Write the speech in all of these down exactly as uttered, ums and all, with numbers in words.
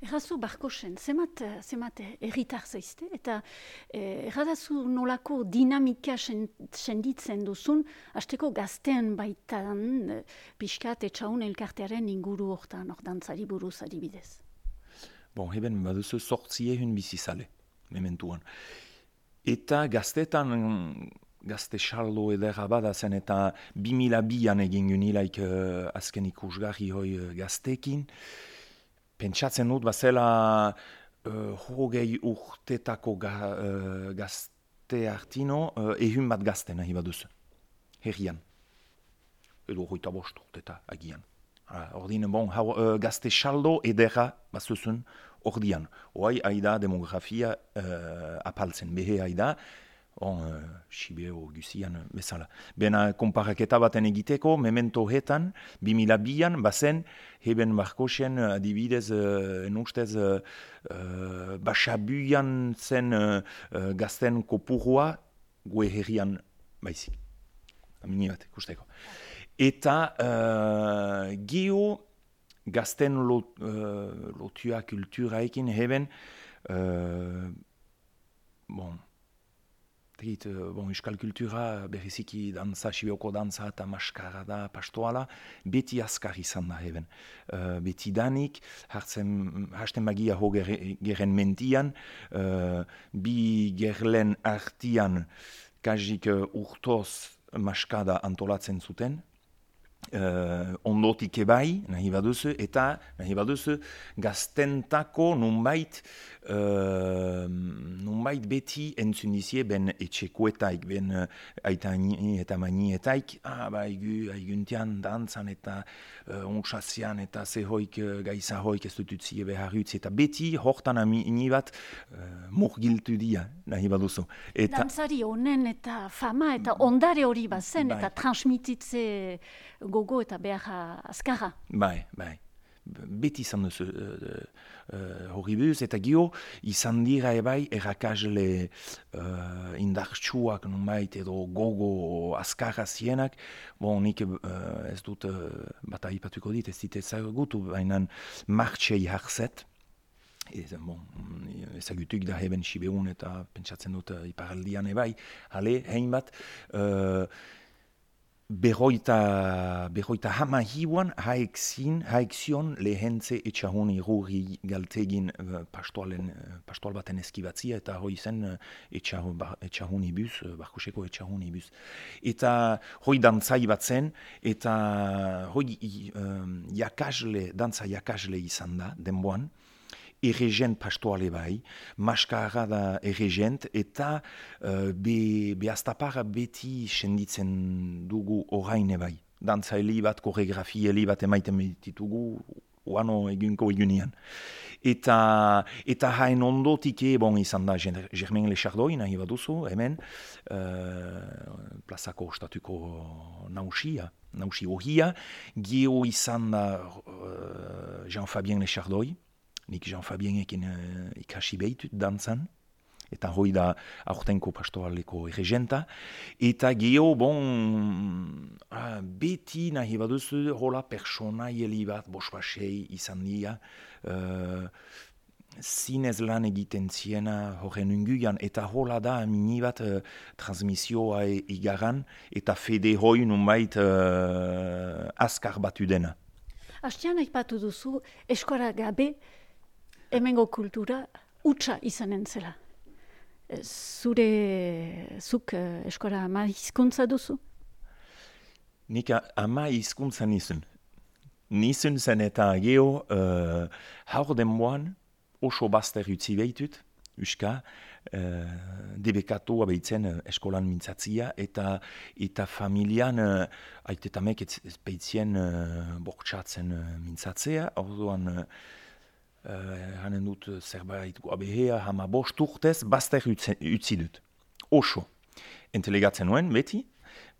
Errazu Barkosen, zemat, zemat erritar zaizte, eta eh, erradazu nolako dinamika sen, senditzen duzun, hasteko gaztean baitan eh, pixkat etxaun elkartearen inguru hortan, hor dantzari buruz adibidez. Bon, heben baduzu sortzie hun bizizale, mementuan. Eta gaztetan, gazte xaldo edera bada zen, eta bi mila bian egin gunilaik uh, azken ikusgarri hoi uh, gaztekin. Pentsatzen dut, bazela uh, hogei urtetako ga, uh, gazte hartino, uh, ehun bat gazte nahi baduzu, herrian. Edo hoita bost urteta agian. Ordin, bon, hau, uh, gazte xaldo edera bazuzun ordian. Hoai, haida demografia uh, apaltzen, behe haida, on, uh, Sibeo guzian bezala. Bena konparaketa baten egiteko, memento hetan, bi mila bian, bazen, heben Barkosen adibidez, uh, enustez, uh, uh, basabuian zen uh, uh, gazten kopurua, gue herrian baizik. Amini bat, ikusteko. Eta uh, gio gazten lot, uh, lotua kulturaekin heben, uh, bon, tegit, uh, bon, euskal kultura berriziki dantza, sibioko dantza eta maskarada, pastoala, beti azkar izan da heben. Uh, beti danik, hartzen, hasten bagia ho geren mentian, uh, bi gerlen artian, kajik uh, urtoz maskada antolatzen zuten, Uh, ondotik ebai, nahi baduzu, eta nahi baduzu gaztentako nunbait, uh, nunbait beti entzun dizie ben etxekoetaik, ben uh, aitani eta manietaik, ah, ba, aigu, aiguntian dantzan eta uh, onxazian eta zehoik, uh, gaizahoik ez dut utzie behar utzi, eta beti hortan amini bat uh, murgiltu dia, nahi baduzu. Eta, dantzari honen eta fama eta ondare hori bazen, bai. Eta transmititze gogo eta behar azkarra. Bai, bai. Beti izan duzu uh, uh, hori buz, eta gio izan dira ebai errakasle uh, indartsuak nunbait edo gogo azkarra zienak. Bon, nik uh, ez dut uh, bat aipatuko dit, ez dit ezagutu, baina martxei harzet. Ez, bon, ezagutuk da heben Sibeun eta pentsatzen dut uh, iparaldian ebai. Hale, hein bat, uh, Berroita, berroita hama hiuan haekzin, haekzion lehentze etxahun irurri galtegin uh, pastoalen, uh, pastoal baten eskibatzia eta hoi zen uh, etxahun, ba, etxahun ibuz, uh, Barkoseko etxahun ibuz. Eta hoi dantzai bat zen, eta hoi um, jakasle, dantza jakasle izan da, denboan, erregent pastoale bai, maskara da erregent, eta uh, be, be astapara beti senditzen dugu orain bai. Dantza heli bat, koreografia heli bat emaiten ditugu, oano egunko egunian. Eta, eta hain ondotik bon izan da Germain Lechardoi, nahi baduzu, hemen, uh, plazako ostatuko nausia, nausi horria, gio izan da uh, Jean-Fabien Lechardoi, nik Jean-Fabienekin uh, ikasi behitut dantzan, eta hoi da aurtenko pastoaleko erregenta, eta geho, bon, ah, beti nahi baduzu, hola personaieli bat, bosbasei izan dira, uh, zinez lan egiten ziena horren unguian, eta hola da mini bat uh, transmisioa e, igaran, eta fede hoi nunbait uh, azkar batu dena. Hastean aipatu duzu, eskora gabe, hemengo kultura utxa izanen zela. Zure, zuk eskora ama hizkuntza duzu? Nik ama hizkuntza nizun. Nizun zen eta geho, uh, haur denboan, oso bazter utzi behitut, uska, uh, debekatu abeitzen uh, eskolan mintzatzia, eta eta familian, uh, aitetamek ez, ez behitzien uh, bortxatzen uh, mintzatzea, orduan, uh, Uh, hanen dut zerbait guabehea, hama bost urtez, bazter utzi dut. Oso. Entelegatzen nuen, beti,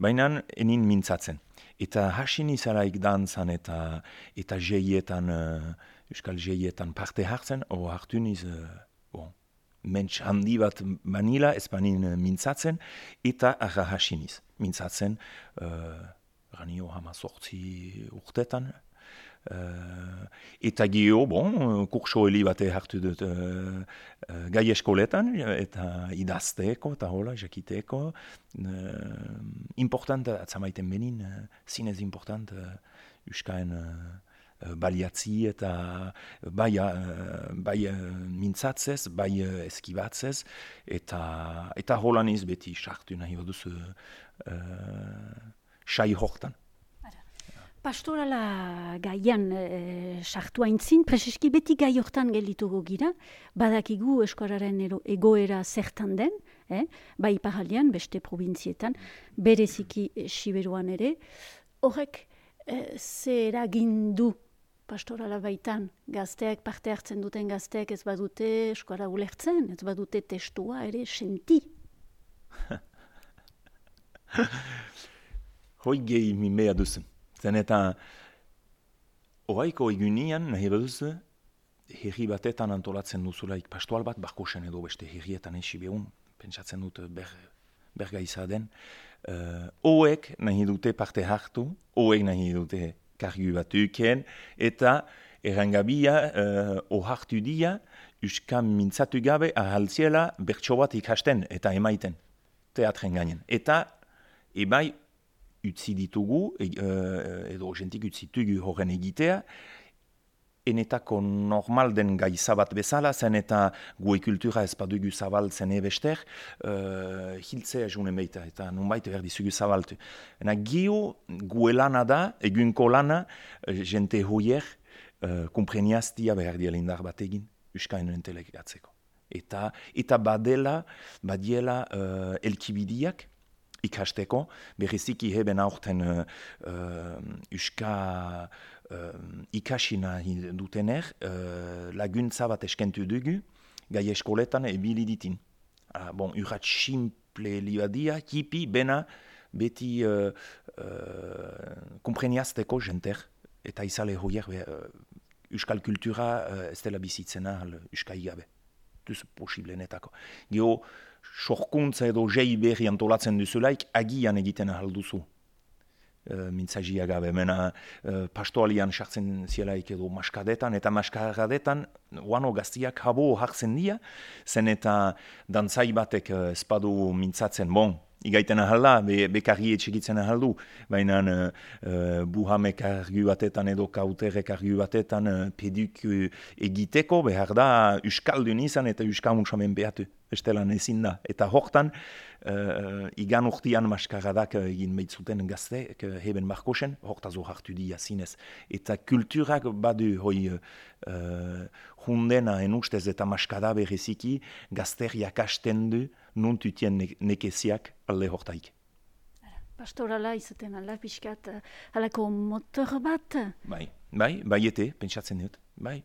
baina enin mintzatzen. Eta hasin izalaik dantzan eta eta jeietan, uh, euskal jeietan parte hartzen, o hartu niz, uh, bon, mentx handi bat manila, ez banin mintzatzen, eta arra hasiniz. Mintzatzen, uh, ranio hama sortzi urtetan, Uh, eta gio, bon, kurso heli bate hartu dut uh, uh, gai eskoletan, eta idazteko, eta hola, jakiteko. Uh, important, atzamaiten benin, uh, zinez important, uh, uskaen uh, baliatzi eta bai, uh, bai uh, mintzatzez, bai uh, eskibatzez, eta, eta hola niz beti sartu nahi baduz uh, sai hortan. Pastorala gaian sartu haintzin, preseski beti gai hortan gelituko gira, badakigu eskuararen egoera zertan den, eh? Bai iparraldean, beste provintzietan, bereziki eh, Siberuan ere. Horrek, eh, ze eragin du pastorala baitan, gazteak parte hartzen duten gazteak ez badute eskuara ulertzen, ez badute testua ere senti. Hoi gehi mimea duzen. Zen eta horaiko egunean, nahi baduz, herri batetan antolatzen duzulaik pastoal bat, barkosen edo beste herrietan esi behun, pentsatzen dut ber, berga izaden. Uh, Hoek nahi dute parte hartu, hoek nahi dute kargu bat uken, eta errangabia uh, ohartu dia, uskan mintzatu gabe ahaltziela bertso bat ikasten eta emaiten, teatren gainen. Eta ebai, utzi ditugu, e, edo jentik utzitugu horren egitea, enetako normal den gaiza bat bezala, zen eta gue kultura ez badugu zabaltzen ebester, uh, hiltzea junen beita, eta nunbait berdizugu zabaltu. Ena gio gue lana da, egunko lana, jente hoier, uh, kompreniaztia behar diela indar bat egin, uskain entelegatzeko. Eta, eta badela, badiela uh, elkibidiak, ikasteko, berriziki heben aurten uh, uh, uska uh, ikasina dutener, uh, laguntza bat eskentu dugu, gai eskoletan ebili ditin. Uh, bon, urrat simple libadia, hipi, bena, beti uh, uh, kompreniazteko jenter, eta izale hoier uh, uskal kultura uh, ez dela bizitzena uskai gabe. Duz posiblenetako. Gio, sorkuntza edo jei berri antolatzen duzulaik, agian egiten ahalduzu. E, mintzagia gabe, mena e, pastoalian sartzen zielaik edo maskadetan, eta maskadetan, oano gaztiak habo hartzen dira, zen eta dantzai batek espadu mintzatzen, bon, igaiten ahalda, be, bekarri etxegitzen ahaldu, baina uh, buhamek argu batetan edo kauterek argu batetan uh, peduk uh, egiteko, behar da uskaldun izan eta uskamuntzamen behatu, estelan ezin da. Eta hortan, uh, igan urtean maskaradak egin behitzuten gazte, heben markosen, hortazo hartu dia zinez. Eta kulturak badu hoi uh, hundena enustez eta maskada bereziki gazteriak hasten du, non tutien ne- nekeziak alde hortaik. Pastorala izaten ala pixkat, halako motor bat? Bai, bai, bai ete, pentsatzen dut, bai.